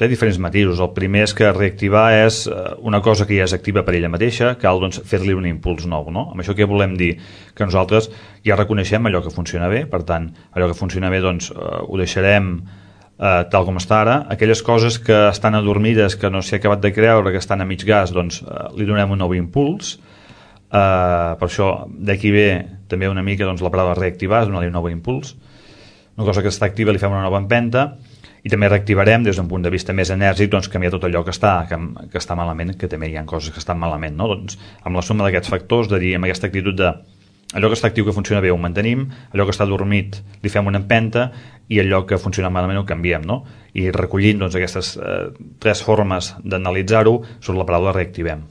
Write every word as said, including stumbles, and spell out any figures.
té diferents matisos. El primer és que reactivar és una cosa que ja és activa per ella mateixa, cal doncs, fer-li un impuls nou, no? Amb això què volem dir? Que nosaltres ja reconeixem allò que funciona bé, per tant, allò que funciona bé doncs, eh, ho deixarem eh, tal com està ara. Aquelles coses que estan adormides, que no s'hi ha acabat de creure, que estan a mig gas, doncs eh, li donem un nou impuls. Eh, per això d'aquí ve també una mica doncs, la paraula reactivar, donar-li un nou impuls. Una cosa que està activa li fem una nova empenta. I també reactivarem des d'un punt de vista més enèrgic doncs, canviar tot allò que està, que, que està malament, que també hi ha coses que estan malament, no? Doncs, amb la suma d'aquests factors, de dir, amb aquesta actitud de allò que està actiu, que funciona bé, ho mantenim, allò que està dormit li fem una empenta i allò que funciona malament ho canviem, no? I recollint doncs, aquestes eh, tres formes d'analitzar-ho surt la paraula reactivem.